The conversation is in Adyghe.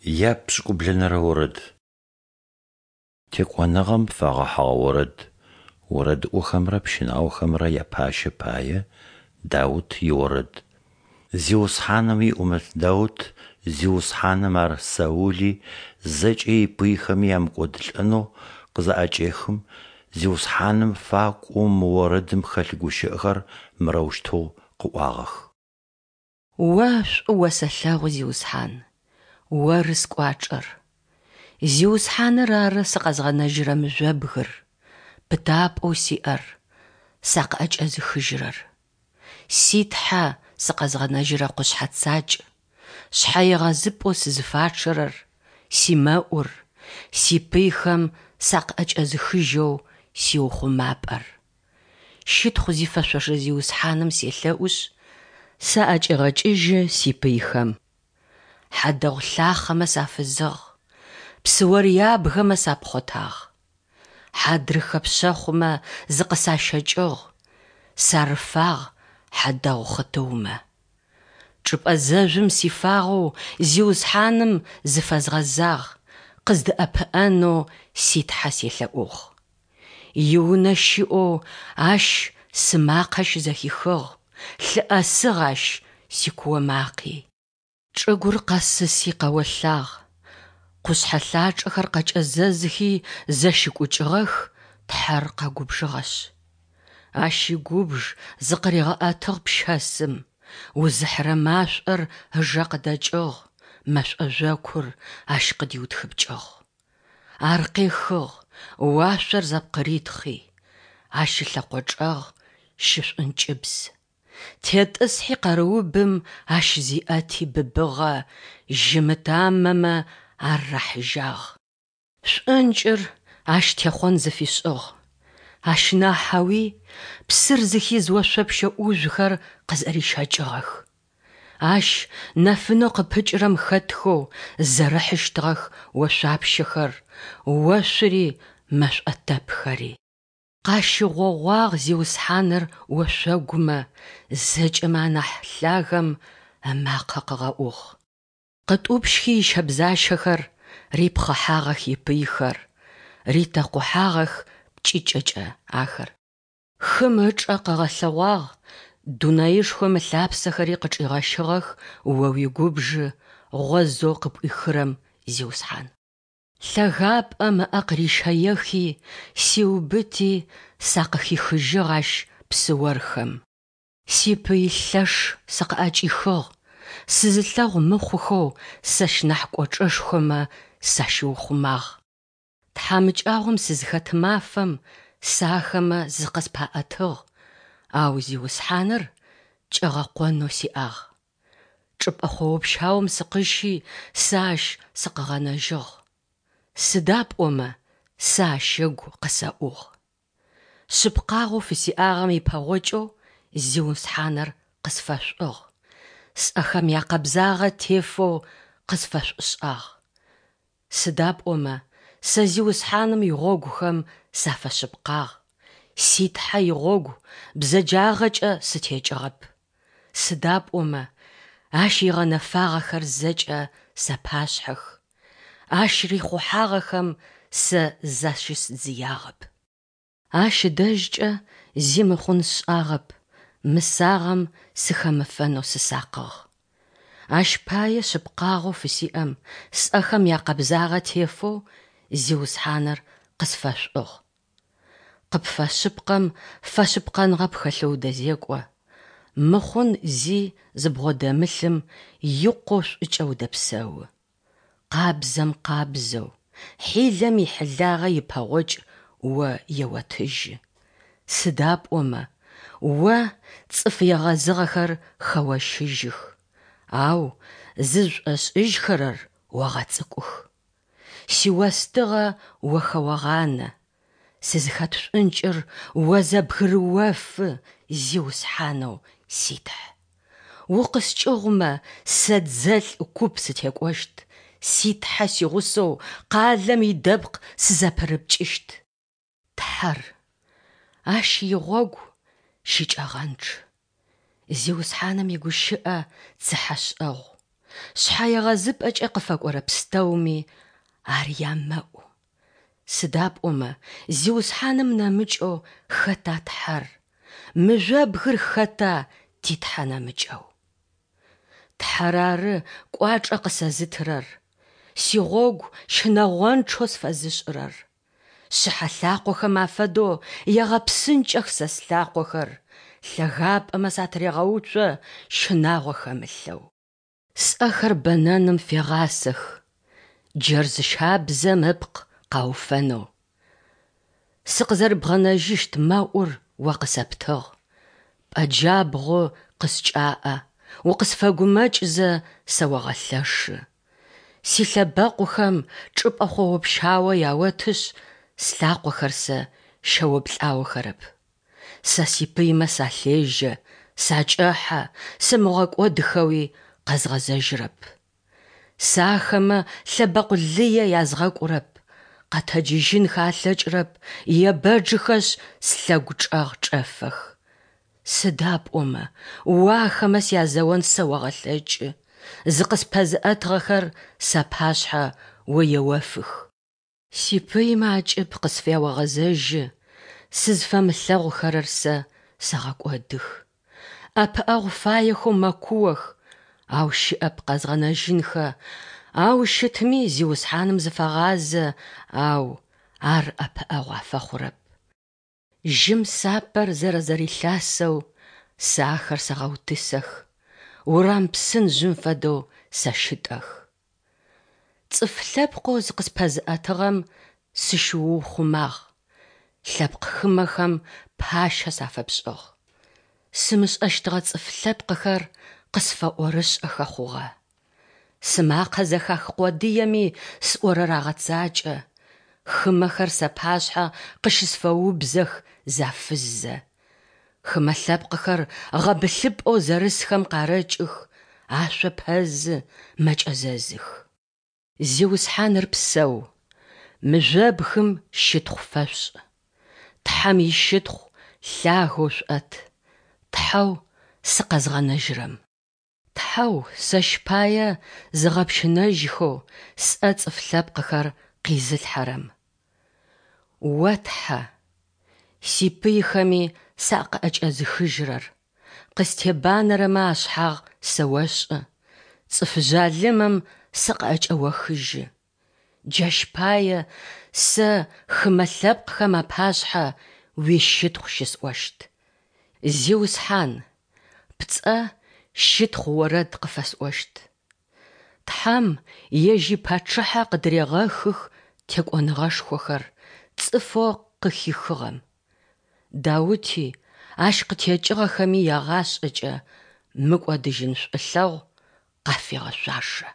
Япшӏыкӏублэнэрэ орэд. Текӏоныгъэм фэгъэхьыгъэ орэд. Орэдыӏохэмрэ пщынаохэмрэ япащэ пае Даут иорэд. Зиусхьаным иӏумэт Даут Зиусхьаным ар Саули зэкӏэ ипыйхэми ямыкӏодылӏэнэу къызаӏэкӏехым, Зиусхьаным факӏоу мы орэдым хэлъ гущыӏэхэр мырэущтэу къыӏуагъэх. О шӏу осэлъэгъу, Зиусхьан, Оры скӏуачӏэр. Зиусхьаныр ары сыкъэзгъэнэжьырэ мыжъобгыр, пытапӏэу сиӏэр, сакъыӏэкӏэзыхыжьырэр. Си Тхьэ сыкъэзгъэнэжьырэ къушъхьэ цакӏ, шъхьэегъэзыпӏэу сызыфачъэрэр, симэӏур, сипыйхэм сакъыӏэкӏэзыхыжьэу сиухъумапӏэр. Щытхъу зифэшъошэ Зиусхьаным селъэӏушъ, саӏэкӏегъэкӏыжьы сипыйхэм. Хьадэгъу лъахъэмэ сафызыгъ, псыор ябгэмэ сапхъотагъ. Хьадрыхэ пшъэхъумэ зыкъысащэкӏыгъ, сарыфагъ хьадэгъу хъытыумэ. Чӏыпӏэ зэжъум сифагъэу Зиусхьаным зыфэзгъэзагъ, къыздэӏэпыӏэнэу си Тхьэ селъэӏугъ. Иунэ щыӏэу ащ сымакъэ щызэхихыгъ, лъыӏэсыгъ ащ сикуо макъи. Чӏыгур къэсыси къэолъагъ, къушъхьэ лъачӏэхэр къэкӏэзэзхи зэщыкӏукӏыгъэх, Тхьэр къэгубжыгъэшъ. Ащ игубж зыкъыригъэӏэтыгъ пщэсым, узыхьырэ машӏор ыжэ къыдэкӏыгъ, мэшӏо жъокур ащ къыдиутхыпкӏыгъ. Ар къехыгъ, уашъор зэпкъыритхъи, ащ ылъэкъо чӏэгъ щышӏункӏыбз. Тетӏысхьи къэрыубым ащ зиӏэти быбыгъэ, жьым ытамэмэ ар рахьыжьагъ. Шӏункӏыр ащ техъон зыфишӏыгъ, ащ нахьэуи псыр зыхиз ошъопщэ ӏужъухэр къызэрищэкӏыгъэх. Ащ нэфынэу къыпыкӏырэм хэтхэу зэрыхьыщтыгъэх ошъуапщэхэр, ошъури мэшӏотэпхэри. Къащыгъогъуагъ Зиусхьаныр ошъогумэ, зэкӏэмэ анахь лъагэм ымакъэ къыгъэӏугъ. Къытӏупщхи ищэбзащэхэр, рипхъыхьагъэх ипыйхэр, ритэкъухьагъэх пкӏыкӏэкӏэ ахэр. Хым ычӏэ къыгъэлъэгъуагъ, дунаишхом ылъапсэхэри къычӏигъэщыгъэх О уигубжы гъозэу къыпӏуихырэм, Зиусхьан. Лъэгапӏэм ыӏэ къырищэехи, сиубыти, сакъыхихыжьыгъ ащ псыорхэм. Сипый лъэш сыкъыӏэкӏихыгъ, сызылъэгъу мыхъухэу сэщ нахь кӏочӏэшхомэ сащиухъумагъ. Тхьамыкӏагъом сызхэт мафэм сэ ахэмэ зыкъыспаӏэтыгъ, ау Зиусхьаныр кӏэгъэкъонэу сиӏагъ. Чӏыпӏэ хъоопщаум сыкъыщи, сэ Ащ сыкъыгъэнэжьыгъ. Сыда пӏомэ сэ Ащ ыгу къысэӏугъ. Шъыпкъагъэу фысиӏагъэм ипэгъокӏэу Зиусхьаныр къысфэшӏугъ, сӏэхэм якъэбзагъэ тефэу къысфэшӏушӏагъ. Сыда пӏомэ сэ Зиусхьаным игъогухэм сафэшъыпкъагъ, си Тхьэ игъогу бзэджагъэкӏэ сытекӏыгъэп. Сыда пӏомэ Ащ игъэнэфагъэхэр зэкӏэ сапашъхьэх, Ащ рихъухьагъэхэм сэ защысдзыягъэп. Ащ ыдэжькӏэ зи мыхъун сшӏагъэп, мысагъэм сыхэмыфэнэу сысакъыгъ. Ащ пае шъыпкъагъэу фысиӏэм, сӏэхэм якъэбзагъэ тефэу Зиусхьаныр къысфэшӏугъ. Къыпфэшъыпкъэм фэшъыпкъэныгъэ пхэлъэу удэзекӏо, мыхъун зи зыбгъодэмылъым икъоу шӏукӏэ удэпсэу. Къабзэм къабзэу, хьилэм ихьилагъэ ипэгъокӏ о еотыжьы. Сыда пӏомэ, о цӏыф егъэзыгъэхэр хэощыжьых, ау зызшӏошӏыжьхэрэр огъэцӏыкӏух. Сиостыгъэ о хэогъанэ, сызыхэт шӏункӏыр о зэбгырыофы, Зиусхьанэу си Тхь. Укъыскӏыгъумэ, сэ дзэлӏ куп сытекӏощт, си Тхьэ сигъусэу къалэм идэпкъ сызэпырыпкӏыщт. Тхьэр, Ащ игъогу щыкӏэгъэнчъ. Зиусхьаным игущыӏэ цыхьэшӏэгъу. Шъхьэегъэзыпӏэкӏэ къыфэкӏорэ пстэуми Ар ямэӏу. Сыда пӏомэ Зиусхьаным нэмыкӏэу хэта Тхьэр, Мыжъобгыр хэта ти Тхьэ нэмыкӏэу? Тхьэр ары кӏуачӏэ къысэзытырэр, сигъогу щынэгъончъэу сфэзышӏырэр. Шъыхьэ лъакъохэм афэдэу егъэпсынкӏэх сэ слъакъохэр, лъэгапӏэмэ сатырегъэуцо щынагъо хэмылъэу. Сӏэхэр бэнэным фегъасэх, джэрз щабзэм ыпкъ къауфэнэу. Сыкъызэрыбгъэнэжьыщт мэӏур о къысэптыгъ, пӏэ джабгъу къыскӏаӏэ, укъысфэгумэкӏзэ сэогъэлъэшы. Силъэбэкъухэм чӏыпӏэ хъоо-пщао яотышъ, слъакъохэр сэ щэоплӏаохэрэп. Сэ сипыймэ салъежьэ, сакӏэхьэ, сымыгъэкӏодхэуи къэзгъэзэжьырэп. Сэ ахэмэ лъэбэкъу лые язгъэкӏурэп, къэтэджыжьынхэ алъэкӏырэп, ебэджыхэшъ, слъэгу чӏэгъ чӏэфэх. Сыда пӏомэ О ахэмэ сязэон сэогъэлъэкӏы, зыкъыспэзыӏэтыгъэхэр сапашъхьэ О еофых. Сипыймэ акӏыб къысфяогъэзэжьы, сызфэмылъэгъухэрэр сэ сэгъэкӏодых. ӏэпыӏэгъу фаехэу мэкуох, ау щыӏэп къэзгъэнэжьынхэ, ау щытми Зиусхьаным зыфагъазэ, ау Ар ӏэпыӏэгъу афэхъурэп. Жьым сапэр зэрэзэрилъасэу сэ ахэр сэгъэутысэх, урам псын жъым фэдэу сэщытӏэх. Цӏыф лъэпкъэу зыкъыспэзыӏэтыгъэм сыщыуухъумагъ, лъэпкъ хымэхэм пащэ сафэпшӏыгъ. Сымышӏэщтыгъэ цӏыф лъэпкъыхэр къысфэӏорышӏэхэ хъугъэ. Сымакъэ зэхах къодыеми сӏорэр агъэцакӏэ, хымэхэр сапашъхьэ къыщысфэубзэх зафыззэ. Хымэ лъэпкъыхэр гъэбылъыпӏэу зэрысхэм къарэкӏых, ашъо пэзы, мэкӏэзэзых. Зиусхьаныр псэу! Мыжъобгым щытхъу фэшъушӏ! Тхьэм ищытхъу лъагэу шъуӏэт, Тхьэу сыкъэзгъэнэжьырэм. Тхьэу сэщ пае зыгъэпщынэжьхэу сӏэ цӏыф лъэпкъыхэр къизылъхьэрэм. О Тхьэ, сипыйхэми сакъыӏэкӏэзыхыжьырэр, къыстебанэрэмэ ашъхьагъ сэошӏы, цӏыф жъалымэм сыкъыӏэкӏэохыжьы. Джащ пае сэ хымэ лъэпкъхэм апашъхьэ уищытхъу щысӏощт. Зиусхьан, пцӏэ щытхъу орэд къыфэсӏощт. Тхьэм Ежь ипачъыхьэ къыдырегъэхых текӏоныгъэшхохэр цӏыфэу къыхихыгъэм. Даути, ащ къытекӏыгъэхэми ягъашӏэкӏэ мыкӏодыжьын шӏулъэгъу къафегъэшъуашэ.